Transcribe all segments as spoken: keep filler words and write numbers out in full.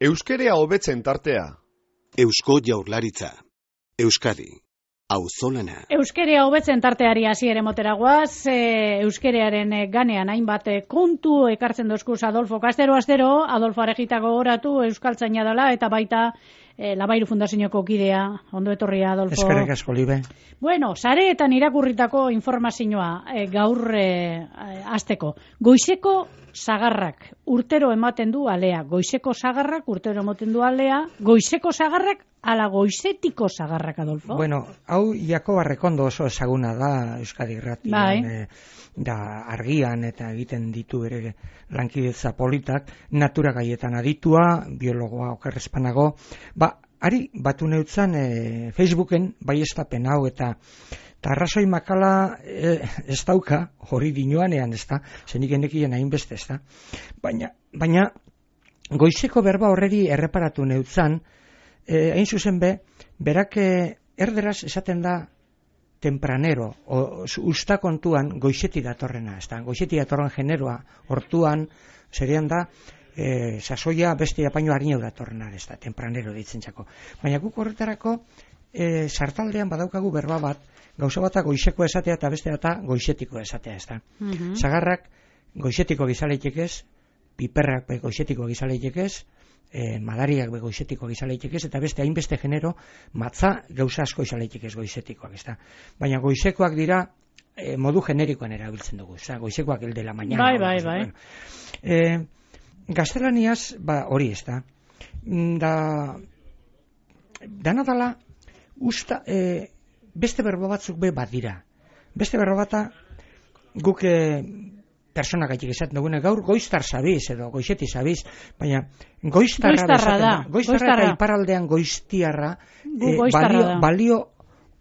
Euskerea hobetzen tartea. Eusko Jaurlaritza. Euskadi. Auzolana. Euskerea hobetzen tarteari hasiere motera goaz, e, euskerearen ganean hainbat kontu ekartzen dozkuz Adolfo Castero Astero, Adolfo Arejita gogoratu euskaltzaina dela eta baita e, Labairu Fundazioko kidea. Ondo etorria, Adolfo. Eskerrik asko, Libe. Bueno, sareetan irakurritako informazioa e, gaur e, hasteko. Goizeko sagarrak urtero ematen du alea. Goizeko sagarrak urtero ematen du alea. Goizeko sagarrak ala goizetiko sagarrak, Adolfo? Bueno, hau Jakoba Rekondo oso ezaguna da Euskadi Irratian, bai. e, da argian eta egiten ditu bere lankidetza politak, natura gaietan aditua, biologoa okerrezpanago, ba, ari batu neutzan e, Facebooken baiestapen hau eta eta arrazoi makala e, ez dauka, hori dinoanean ez da, zenik enekien hainbeste ez da, baina, baina goizeko berba horreri erreparatu neutzan, E, hain zuzen be, berak erderaz esaten da tempranero, o, usta kontuan goizeti datorrena, ez da, goizeti datorren generoa, hortuan, serian da, e, sasoia beste apaino harinau datorrena, ez da, tempranero ditzen txako. Baina guk horretarako, e, sartaldean badaukagu berba bat, gauza bata goizeko esatea eta beste eta goizetiko esatea, ez da. Mm-hmm. Sagarrak goizetiko gizaleitek ez, piperrak goizetiko gizaleitek ez, E, madariak goizetiko gizaleitek ez, eta beste hainbeste genero matza gauza asko gizaleitek ez goizetikoak, ez da. Baina goizekoak dira e, modu generikoan erabiltzen dugu, ez da, goizekoak el de la mañana. Bai, bai, bai. Bueno. E, gaztelaniaz, ba, hori ez da, da, dana dala, usta, e, beste berbo batzuk be bat dira. Beste berbo bata, guk e, personak gaitik esaten dugune, gaur goiztar zabiz edo goizeti zabiz, baina goiztarra, goiztarra da, goiztarra, goiztarra eta iparaldean goiztiarra e, balio, balio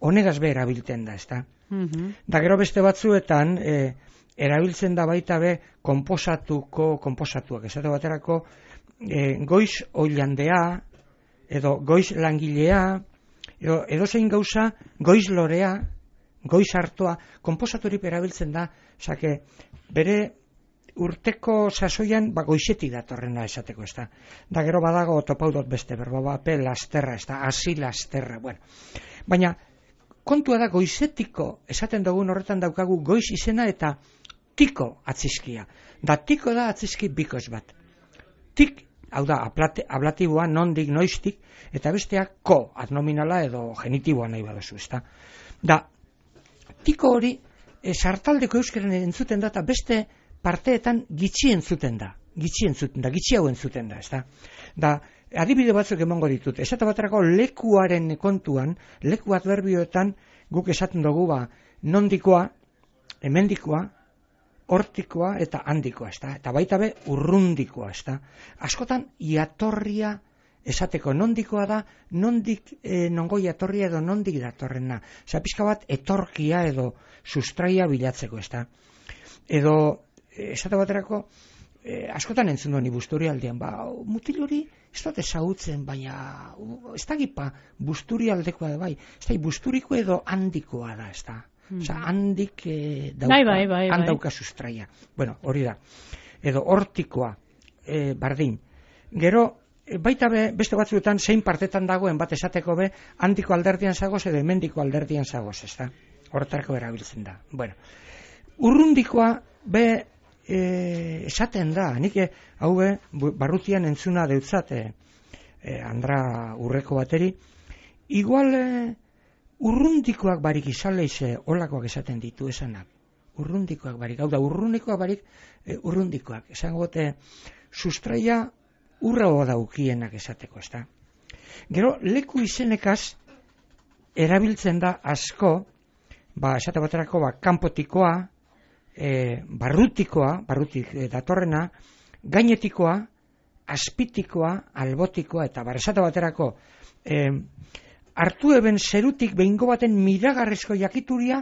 honegaz be erabiltzen da, ezta? Uh-huh. Da gero beste batzuetan e, erabiltzen da baita be konposatuko, konposatuak, esate baterako e, goiz oilandea edo goiz langilea edo, edo zein gauza goiz lorea, goiz hartoa, konposaturip erabiltzen da, osake, bere urteko sasoian ba, goizetik datorrena esateko, ez da. Da gero badago topaudot beste, berba bape lasterra, ez da, hasi lasterra, bueno. Baina, kontua da goizetiko, esaten dugun horretan daukagu goiz izena eta tiko atzizkia. Da tiko da atzizki bikoz bat. Tik, hau da, ablatiboa, nondik, noiztik, eta besteak ko, adnominala edo genitiboa nahi baduzu, ez da. Da, tiko hori, E, sartaldeko euskaren entzuten da, eta beste parteetan gitxi entzuten da, gitxi entzuten da, gitxi hau entzuten da, ez da. Da, adibide batzuk emango ditut, esate baterako lekuaren kontuan, leku adverbioetan guk esaten dugu, ba, nondikoa, hemendikoa, hortikoa eta handikoa, ez da. Eta baita be, urrundikoa, ez da. Askotan, iatorria esateko, nondikoa da, nondik e, nongo jatorria edo nondik datorrena. Osa, pixka bat, etorkia edo sustraia bilatzeko, ez da. Edo, esate baterako, e, askotan entzun duen busturi aldean, ba, mutil hori, ez dut ezagutzen, baina, ez da gipa, busturi aldekoa da bai, ez da, busturiko edo handikoa da, ez da. Mm-hmm. Osa, handik e, dauka, bai, bai, bai, handauka sustraia. Bueno, hori da. Edo, hortikoa, e, bardin. Gero, baita be, beste batzuetan zein partetan dagoen bat esateko be, handiko alderdian zagoz edo hemendiko alderdian zagoz, ez da? Horretarako erabiltzen da. Bueno, urrundikoa be e, esaten da, nik hau be, barrutian entzuna deutzat e, e, Andra Urreko bateri, igual e, urrundikoak barik izaleize olakoak esaten ditu esanak. Urrundikoak barik, hau da, urrundikoak barik e, urrundikoak. Esango gote, sustraia urra daukienak esateko, ez da. Gero, leku izenekaz erabiltzen da asko, ba, esate baterako, ba, kanpotikoa, e, barrutikoa, barrutik e, datorrena, gainetikoa, azpitikoa, albotikoa, eta bar, esate baterako, e, hartu eben zerutik behingo baten miragarrezko jakituria,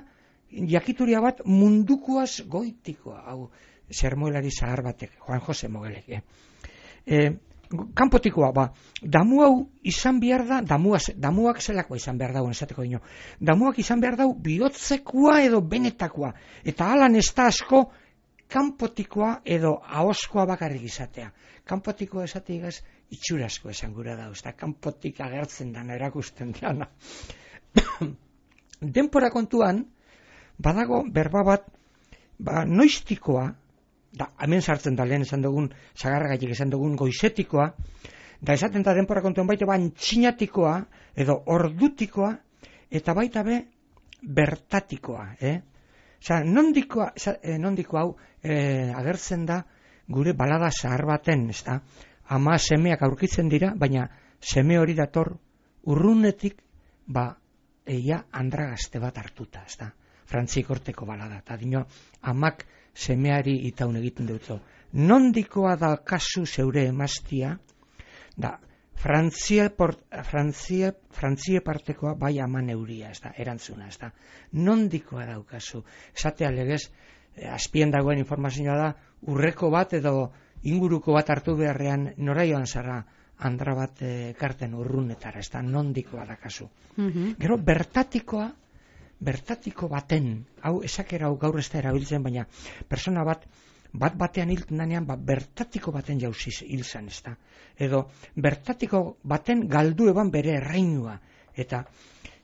jakituria bat mundukoaz goitikoa, hau, sermoelari zahar batek, Juan Jose Mogelek, eh? E, kanpotikoa, ba, damu hau izan behar da, damuaz, damuak zelakoa izan behar dauen esateko dino, damuak izan behar dau bihotzekoa edo benetakoa, eta alan ez da asko kanpotikoa edo ahoskoa bakarrik izatea. Kanpotikoa esatik itxurasko esan gura da, ez da, kanpotik agertzen dana, erakusten dana. Denpora kontuan, badago berba bat, ba, noiztikoa, da, hemen sartzen da lehen esan dugun, sagarragatik esan dugun goizetikoa, da esaten da denpora kontuan baita ba, antxinatikoa, edo ordutikoa, eta baita be, bertatikoa, eh? Osa, nondikoa, eh, nondiko hau eh, agertzen da gure balada zahar baten, ez da? Ama semeak aurkitzen dira, baina seme hori dator urrunetik, ba, eia andragazte bat hartuta, ez da? Frantzik horteko balada, eta dino, amak semeari itaun egiten dutzo. Nondikoa da kasu zeure emaztia, da, Frantzia, port, Frantzia, Frantzia partekoa bai ama neuria, ez da, erantzuna, ez da. Nondikoa daukazu. Esatea legez, eh, azpien dagoen informazioa da, urreko bat edo inguruko bat hartu beharrean nora joan zara andra bat eh, karten urrunetara, ez da, nondikoa daukazu. Mm-hmm. Gero, bertatikoa, bertatiko baten, hau esakera hau gaur ez da erabiltzen, baina persona bat, bat batean hilten danean, ba, bertatiko baten jauziz hil zan, ez da. Edo, bertatiko baten galdu eban bere erreinua. Eta,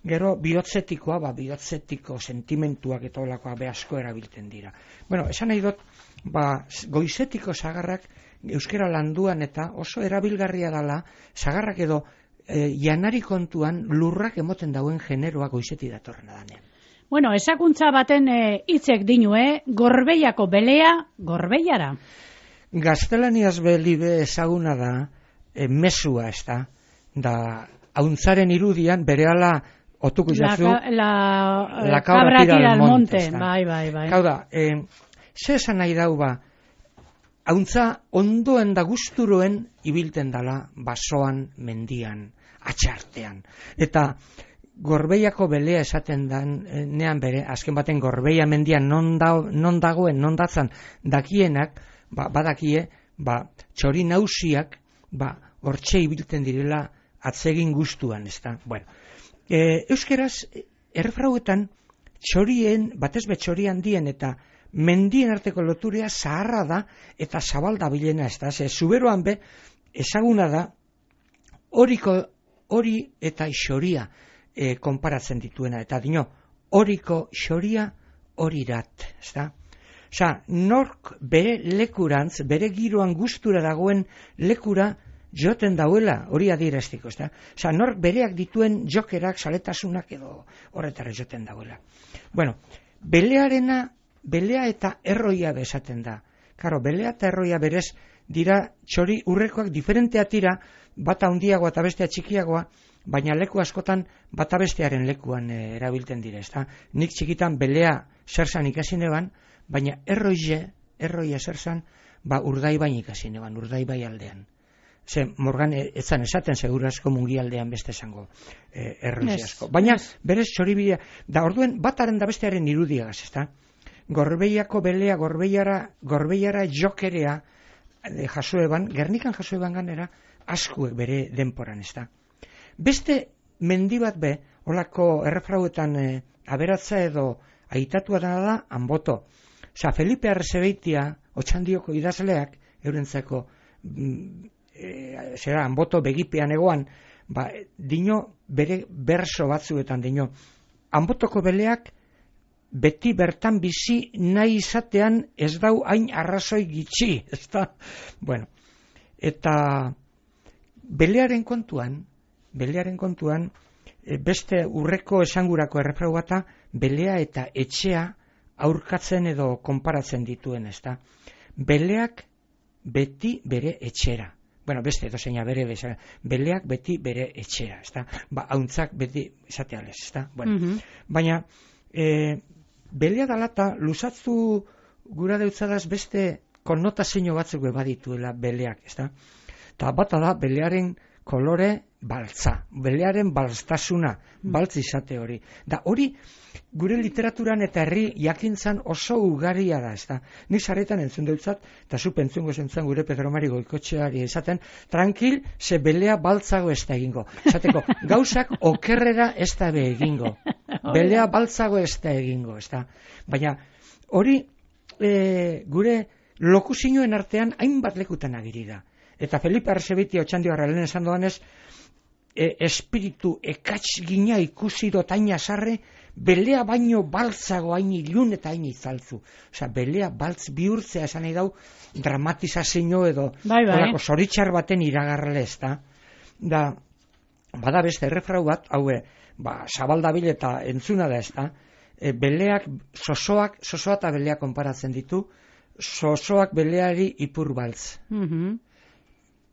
gero, bihotzetikoa, ba, bihotzetiko sentimentuak eta olakoa be asko erabiltzen dira. Bueno, esan nahi dut, ba, goizetiko sagarrak euskera landuan eta oso erabilgarria dala, sagarrak edo e, janari kontuan lurrak emoten dauen generoa goizeti datorrena danean. Bueno, esakuntza baten hitzek e, dinue, gorbeiako belea, gorbeiara. Gaztelaniaz belibe ezaguna da, e, mesua ez da, da, hauntzaren irudian, berehala otuko jazu, la, la, la cabra tira al monte, monte bai, bai, bai. Hau da, e, ze esan nahi dau ba, hauntza ondoen da gusturoen ibilten dala, basoan, mendian, atxartean. Eta, gorbeiako belea esaten dan, nean bere, azken baten gorbeia mendian non, da, non dagoen, non datzan dakienak, ba, badakie, ba, txori nausiak, ba, hortxe ibilten direla atzegin gustuan, ez da. Bueno, e, euskeraz, errefrauetan, txorien, batez be txori handien eta mendien arteko loturea zaharra da eta zabalda bilena, ez da. Ze, zuberoan be, ezaguna da, horiko, hori eta xoria, E, konparatzen dituena, eta dino, horiko xoria horirat, ez da? Osa, nork bere lekurantz, bere giroan gustura dagoen lekura joten dauela, hori adieraztiko, ez da? Osa, nork bereak dituen jokerak, saletasunak edo horretara joten dauela. Bueno, belearena, belea eta erroia bezaten da. Karo, belea eta erroia berez dira txori urrekoak diferentea tira, bata handiagoa eta bestea txikiagoa, baina leku askotan bata bestearen lekuan e, erabilten dira, ezta? Nik txikitan belea zerzan ikasi neban, baina erroie, erroia zerzan, ba Urdaibain ikasi neban, Urdaibai aldean. Ze, Morgan etzan esaten seguru asko mungi aldean beste esango e, erroia yes, asko. Baina yes. Berez txoribidea, da orduen bataren da bestearen irudiagaz, ezta? Gorbeiako belea, gorbeiara, gorbeiara jokerea e, jaso eban, Gernikan jaso eban ganera, askuek bere denporan, ezta? Beste mendi bat be, holako errefrauetan e, aberatza edo aitatua da da, Anboto. Osa, Felipe Arrezabeitia, Otxandioko idazleak, eurentzako, mm, e, zera, Anboto begipean egoan, ba, dino bere berso batzuetan, dino, Anbotoko beleak beti bertan bizi nahi izatean ez dau hain arrazoi gitxi, ez da? Bueno, eta belearen kontuan, Belearen kontuan, beste urreko esangurako errefrau bata, belea eta etxea aurkatzen edo konparatzen dituen, ez da. Beleak beti bere etxera. Bueno, beste edo zeina bere bezala. Beleak beti bere etxera, ez da. Ba, hauntzak beti esatealez, ez da. Bueno, mm-hmm. Baina, e, belea dalata, luzatzu gura deutzadaz beste konnotazio batzuk badituela beleak, ez da. Eta bata da, belearen kolore baltza, belearen balztasuna, baltz izate hori. Da hori gure literaturan eta herri jakintzan oso ugaria da, ez da. Ni sarretan entzun deutzat, eta zu pentzungo zentzan gure Pedro Mari Goikotxeari esaten, tranquil, ze belea baltzago ez da egingo. Esateko, gauzak okerrera ez da be egingo. Belea baltzago ez da egingo, ez da. Baina hori e, gure lokuzioen artean hainbat lekutan agiri da. Eta Felipe Arzebiti otxandigarra lehen esan doanez, e, espiritu ekatz gina ikusi dotaina sarre, belea baino baltzago hain ilun eta hain izaltzu. Osea, belea baltz bihurtzea esan nahi dau dramatizazio edo bai, bai. olako zoritxar baten iragarrele ez da. Da, bada beste errefrau bat, haue, ba, zabaldabil eta entzuna da ez da, e, beleak, sosoak, sosoa eta belea konparatzen ditu, sosoak beleari ipur baltz. Mhm.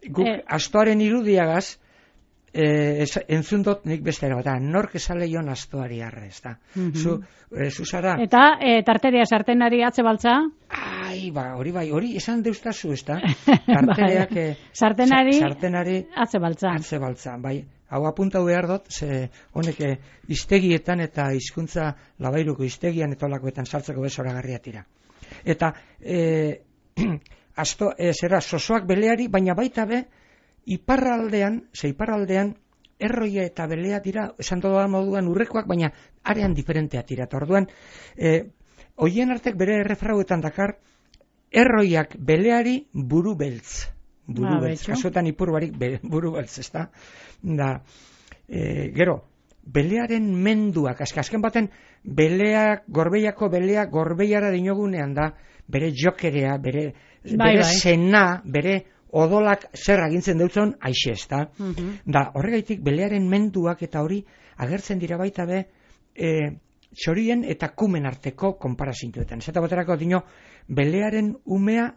Guk, eh. astoaren irudiagaz, eh, entzun dut nik beste ere bat, nork esaleion astoari arre, ez da. Mm-hmm. Zu, eh, zu zara... Eta, eh, tarteria sartenari atze baltza? Ai, ba, hori bai, hori esan deustazu, ez da. Tarteriak... eh, sartenari, sa, sartenari atze baltza. Atze baltza, bai. Hau apuntau behar dut, ze honek eh, iztegietan eta hizkuntza labairuko iztegian eta olakoetan sartzeko bezoragarria tira. Eta, eh, asto, eh, zera, sosoak beleari, baina baita be, iparraldean, ze iparraldean, erroia eta belea dira, esan doa moduan urrekoak, baina arean diferentea tira. Eta orduan, eh, hoien artek bere errefrauetan dakar, erroiak beleari buru beltz. Buru ah, beltz. Kasuetan ipur barik be, buru beltz, ez da? Da, eh, gero, belearen menduak, azken baten, beleak, gorbeiako beleak gorbeiara dinogunean da, bere jokerea, bere, bai, bere bai. sena, bere odolak zer agintzen deutzon aixe, ez da? Uh-huh. Da, horregaitik belearen menduak eta hori agertzen dira baita be e, txorien eta kumen arteko konparazintuetan. Zeta baterako dino, belearen umea,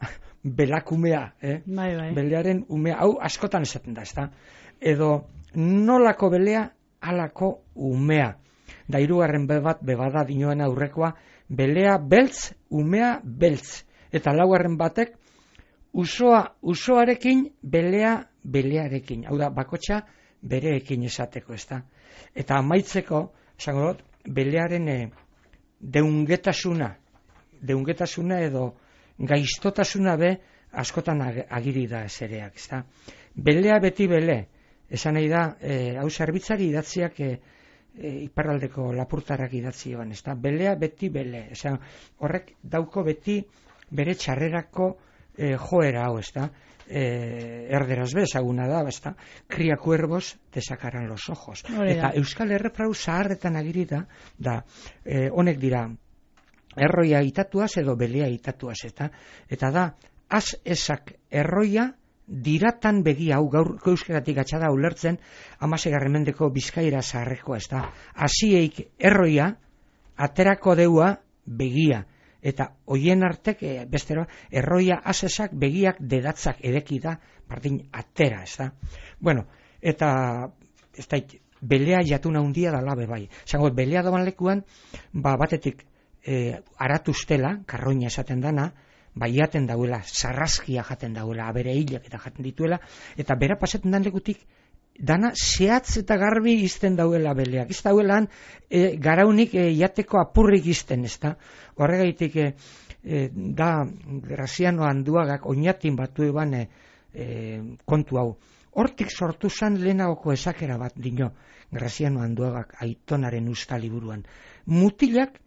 belakumea, eh? Bai, bai. Belearen umea, hau askotan esaten da, ez da? Edo, nolako belea, alako umea. Da, hirugarren be bat, bebada dinoen aurrekoa, belea beltz, umea beltz. Eta laugarren batek, usoa usoarekin, belea belearekin. Hau da, bakotxa bereekin esateko, ez da. Eta amaitzeko, esango dut, belearen e, deungetasuna, deungetasuna edo gaiztotasuna be, askotan agiri da esereak, ez da. Belea beti bele, esan nahi da, e, hau zerbitzari idatziak e, e, iparraldeko lapurtarak idatzi joan, ez da. Belea beti bele, esan, horrek dauko beti bere txarrerako E, joera hau, ez da, e, erderaz be, ezaguna da, ez da, cría cuervos, te sacarán los ojos. Oreda. Eta euskal erreprau zaharretan agiri da, da, e, honek dira, erroia itatuaz edo belea itatuaz, eta, eta da, az esak erroia, diratan begia, hau gaur euskeratik atxada ulertzen, amasegarren mendeko bizkaira zaharreko, ez da, azieik erroia, aterako deua begia, eta hoien artek, e, bestero, erroia asesak begiak dedatzak edeki da, bardin atera, ez da. Bueno, eta, ez da, belea jatuna hundia da labe bai. Zango, belea doan lekuan, ba, batetik, e, aratuztela, karroina esaten dana, bai jaten dauela, sarrazkia jaten dauela, abere hilak eta jaten dituela, eta bera pasetan dan lekutik, dana zehatz eta garbi izten dauela beleak. Ez dauelan e, garaunik e, jateko apurrik izten, ez da? Horregaitik e, e, da Graziano Anduagak oinatin batu eban e, e, kontu hau. Hortik sortu zan lehenagoko esakera bat dino Graziano Anduagak Aitonaren usta liburuan. Mutilak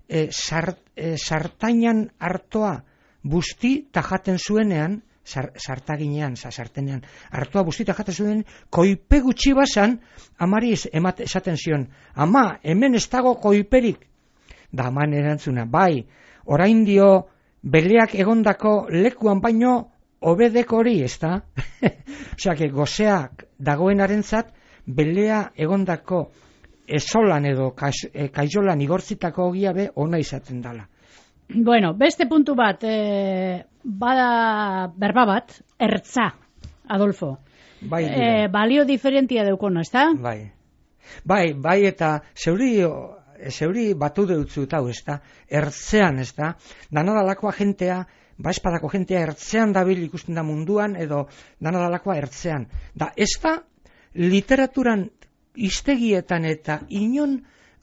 e, sart, e, sartainan hartoa busti tajaten zuenean, sartaginean, sartenean, hartua bustita jaten zuen, koipe gutxi basan, amari emate, esaten zion, ama, hemen ez dago koiperik. Da aman erantzuna, bai, orain dio, beleak egondako lekuan baino, obedek hori, ez da? Osea, que gozeak dagoenarentzat, belea egondako esolan edo kaizolan igortzitako ogia be, ona izaten dala. Bueno, beste puntu bat, e, bada berba bat, ertza, Adolfo. Bai, e, balio diferentia deukona, ez da? Bai, bai, bai eta zeuri, zeuri batu deutzu eta hau, ez da, ertzean, ez da, danadalakoa jentea, ba espadako jentea ertzean dabil ikusten da munduan, edo danadalakoa ertzean. Da, ez da, literaturan iztegietan eta inon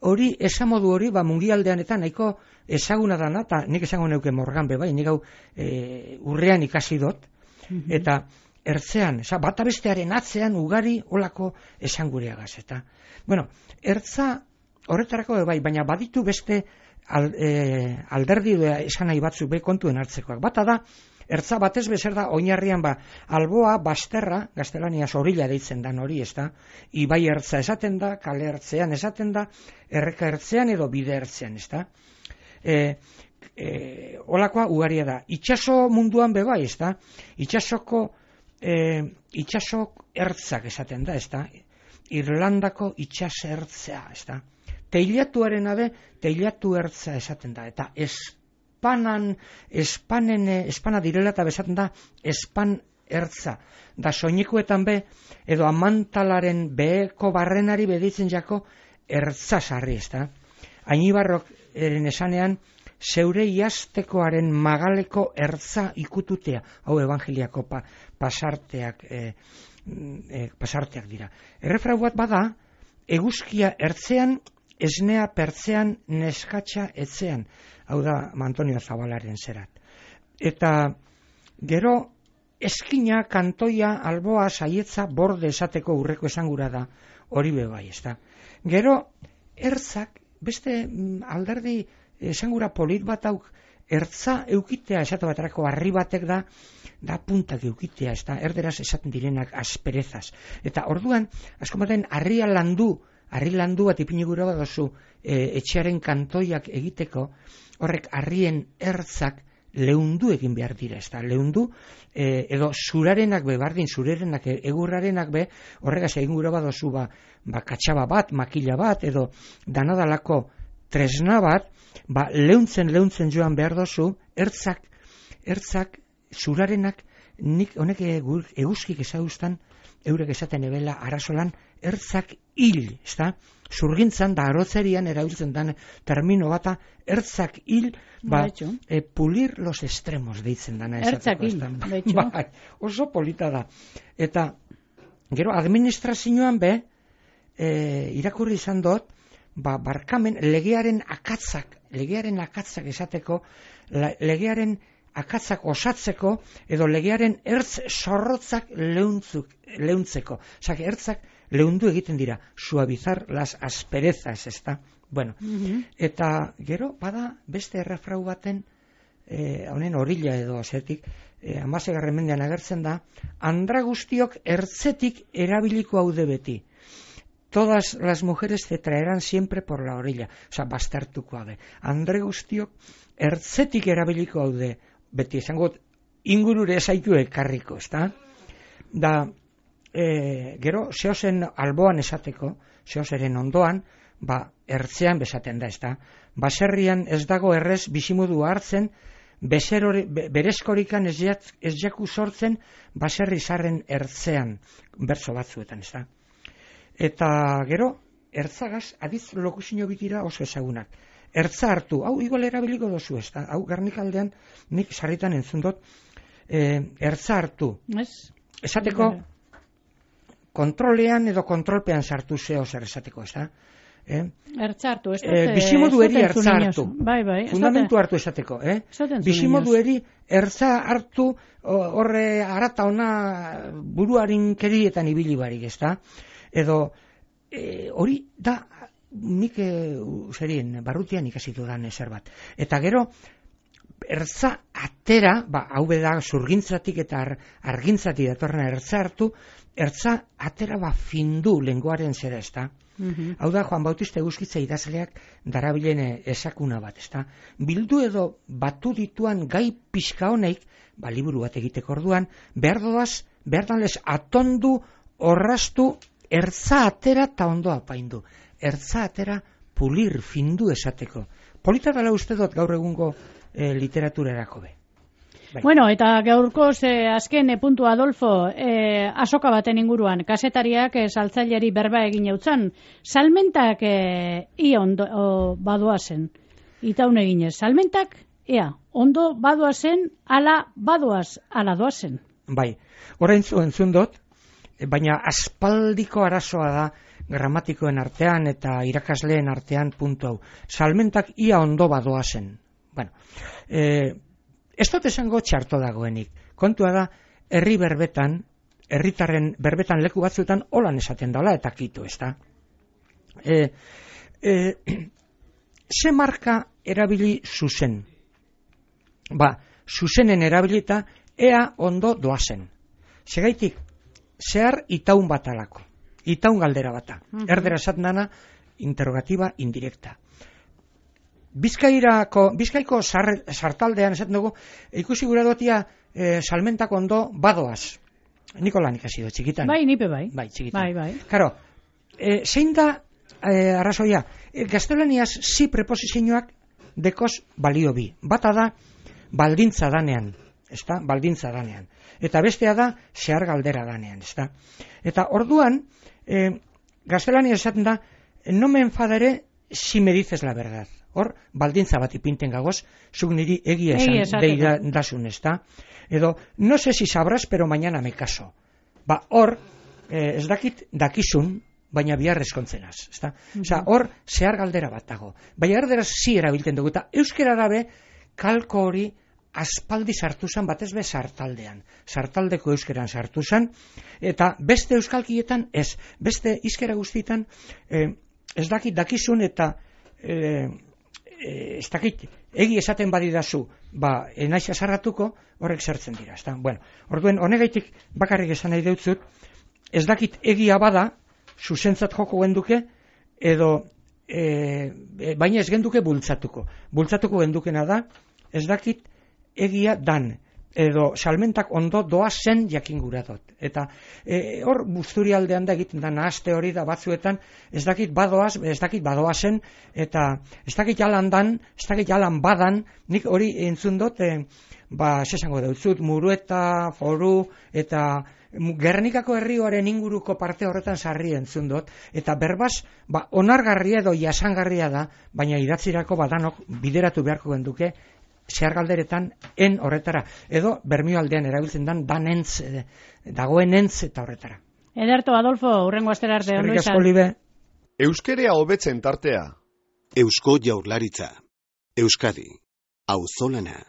hori, esamodu hori, ba mungialdean eta nahiko ezaguna dana, eta nik esango neuke Morgan be bai, nik hau e, urrean ikasi dut, mm-hmm. eta ertzean, eza, bata bestearen atzean ugari olako esangureagaz, eta, bueno, ertza horretarako bai, baina baditu beste al, e, alderdi esan nahi batzuk be kontuen hartzekoak. Bata da, Ertza batez bezer da, oinarrian ba, alboa, basterra, gaztelaniaz orilla deitzen da hori, ez da, ibai ertza esaten da, kale ertzean esaten da, erreka ertzean edo bide ertzean, ez da. E, e, olakoa ugaria da. Itxaso munduan bebai, ez da, itxasoko, e, itxasok ertzak esaten da, ez da, Irlandako itxas ertzea, ez da. Teilatuaren abe, teilatu ertza esaten da, eta ez, Espanan, espanen, espana direla eta bezaten da, espan ertza. Da soinikuetan be, edo amantalaren beheko barrenari beditzen jako, ertza sarri, ez da. Ainibarrok eren esanean, zeure iaztekoaren magaleko ertza ikututea, hau evangeliako pa, pasarteak, e, e, pasarteak dira. Errefrau bat bada, eguzkia ertzean, esnea pertzean, neskatxa etzean. Hau da, Antonio Zabalaren zerat. Eta gero eskina, kantoia, alboa, saietza, borde esateko urreko esangura da, hori bebai, ez da. Gero, ertzak, beste alderdi esangura polit bat auk, ertza eukitea, esate baterako harri batek da, da puntak eukitea, ez da, erderaz esaten direnak asperezaz. Eta orduan, asko baten, harria landu, harri landu bat ipinigura bat dozu, e, etxearen kantoiak egiteko, horrek harrien ertzak leundu egin behar dira, ez da, leundu, e, edo zurarenak be, bardin zurerenak, egurrarenak be, horregaz egin gura bat dozu, ba, ba, katxaba bat, makila bat, edo danadalako tresna bat, ba, leuntzen, leuntzen joan behar dozu, ertzak, ertzak, zurarenak, nik honek eguzkik ezagustan, eurek esaten ebela arazolan, ertzak hil, ez da? Zurgintzan da arotzerian erabiltzen den termino bata, ertzak hil, ba, e, pulir los extremos deitzen dana. Ertzak hil, ba, oso polita da. Eta, gero, administrazioan be, e, irakurri izan dut, ba, barkamen, legearen akatzak, legearen akatzak esateko, la, legearen akatzak osatzeko, edo legearen ertz zorrotzak leuntzuk, leuntzeko. Osak, ertzak leundu egiten dira, suavizar las asperezas, ez da? Bueno, mm-hmm. Eta gero, bada, beste errefrau baten, eh, honen orilla edo zetik, eh, amasegarren mendean agertzen da, andra guztiok ertzetik erabiliko haude beti. Todas las mujeres te traerán siempre por la orilla. Osa, bastartuko haude. Andre guztiok ertzetik erabiliko haude beti. Esango, ingurure zaitu ekarriko, ez da? Da, e, gero, zehozen alboan esateko, zehozeren ondoan, ba, ertzean bezaten da, ez da? Baserrian ez dago errez bizimodu hartzen, Bezerori, be, berezkorikan ez, jat, ez jaku sortzen, baserri zarren ertzean, bertso batzuetan, ez da? Eta gero, ertzagaz, adiz lokusino bitira oso ezagunak. Ertza hartu, hau igual erabiliko dozu, ez da? Hau garnikaldean, nik sarritan entzun dut, e, ertza hartu. Ez? Esateko, kontrolean edo kontrolpean sartu zeo zer esateko, ez da? Eh? Ertza hartu, ez eh, bizimodu eri ertza hartu. Bai, bai. Fundamentu hartu esateko, eh? Bizimodu eri ertza hartu, horre arata ona buruarin kerietan ibili barik, ez da? Edo, e, hori da, nik e, zerien, barrutian ikasitu dan ezer bat. Eta gero, ertza atera, ba, hau beda zurgintzatik eta ar, argintzatik datorrena ertza hartu, ertza atera ba findu lenguaren zera, ez da? Mm-hmm. Hau da, Juan Bautista Eguzkitza idazleak darabilen esakuna bat, ez da? Bildu edo batu dituan gai pixka honeik, ba, liburu bat egiteko orduan, behar doaz, behar danlez atondu, orrastu, ertza atera eta ondo apaindu. Ertza atera pulir, findu esateko. Polita dela uste dut gaur egungo e, literaturarako be. Bai. Bueno, eta gaurko ze azken e, puntu Adolfo, e, asoka baten inguruan, kasetariak e, saltzaileri berba egin eutzan, salmentak e, ia ondo o, badoazen, itaun eginez. Salmentak, ea, ondo badoazen, ala badoaz, ala doazen. Bai, orain zu entzun dut, baina aspaldiko arazoa da gramatikoen artean eta irakasleen artean puntu hau. Salmentak ia ondo badoa zen. Bueno, eh, ez dut esango txarto dagoenik. Kontua da, herri berbetan, herritarren berbetan leku batzuetan holan esaten dela eta kitu, ez da? Eh, eh, ze marka erabili zuzen? Ba, zuzenen erabilita, ea ondo doazen. Segaitik, zehar itaun bat alako, itaun galdera bata. Uh-huh. Erdera esat nana, interrogatiba indirekta. Bizkairako, Bizkaiko sartaldean esaten dugu, ikusi gura dotia e, salmentak ondo badoaz. Nikolan ikasi do, txikitan. Bai, nipe bai. Bai, txikitan. Bai, bai. Karo, e, zein da e, arrazoia? E, gaztelaniaz zi preposizioak dekoz balio bi. Bata da, baldintza danean. Ezta? Baldintza danean. Eta bestea da, zehar galdera danean. Ezta? Eta orduan, e, gaztelaniaz esaten da, no me enfadare si me dices la verdad. Hor, baldintza bat ipinten gagoz, zuk niri egia esan deidasun, ezta? Edo, no sé si sabrás, pero mañana me caso. Ba, hor, eh, ez dakit dakizun, baina bihar eskontzenaz, ezta? Mm-hmm. Osa, hor, zehar galdera bat dago. Baina erderaz zi erabilten dugu, eta euskera dabe, kalko hori aspaldi sartu zan, batez be sartaldean. Sartaldeko euskeran sartu zan, eta beste euskalkietan ez. Beste hizkera guztietan, eh, ez dakit dakizun, eta... Eh, ez dakit, egi esaten badidazu, ba, enaiz azarratuko, horrek zertzen dira, ezta? Bueno, orduen, honegaitik bakarrik esan nahi deutzut, ez dakit egia bada, zuzentzat joko genduke, edo, e, baina ez genduke bultzatuko. Bultzatuko gendukena da, ez dakit egia dan, edo salmentak ondo doa zen jakin gura dut. Eta e, hor buzturi aldean da egiten da nahazte hori da batzuetan, ez dakit badoaz, ez dakit badoa zen, eta ez dakit jalan dan, ez dakit jalan badan, nik hori entzun dut, e, ba, sesango dautzut, Murueta, Foru, eta Gernikako herrioaren inguruko parte horretan sarri entzun dut, eta berbaz, ba, onargarria edo jasangarria da, baina idatzirako badanok bideratu beharko genduke, zehar galderetan en horretara, edo Bermio aldean erabiltzen dan danentz, e, dagoenentz eta horretara. Ederto, Adolfo, urrengo astera arte ondo izan. Euskerea hobetzen tartea. Eusko Jaurlaritza. Euskadi. Auzolana.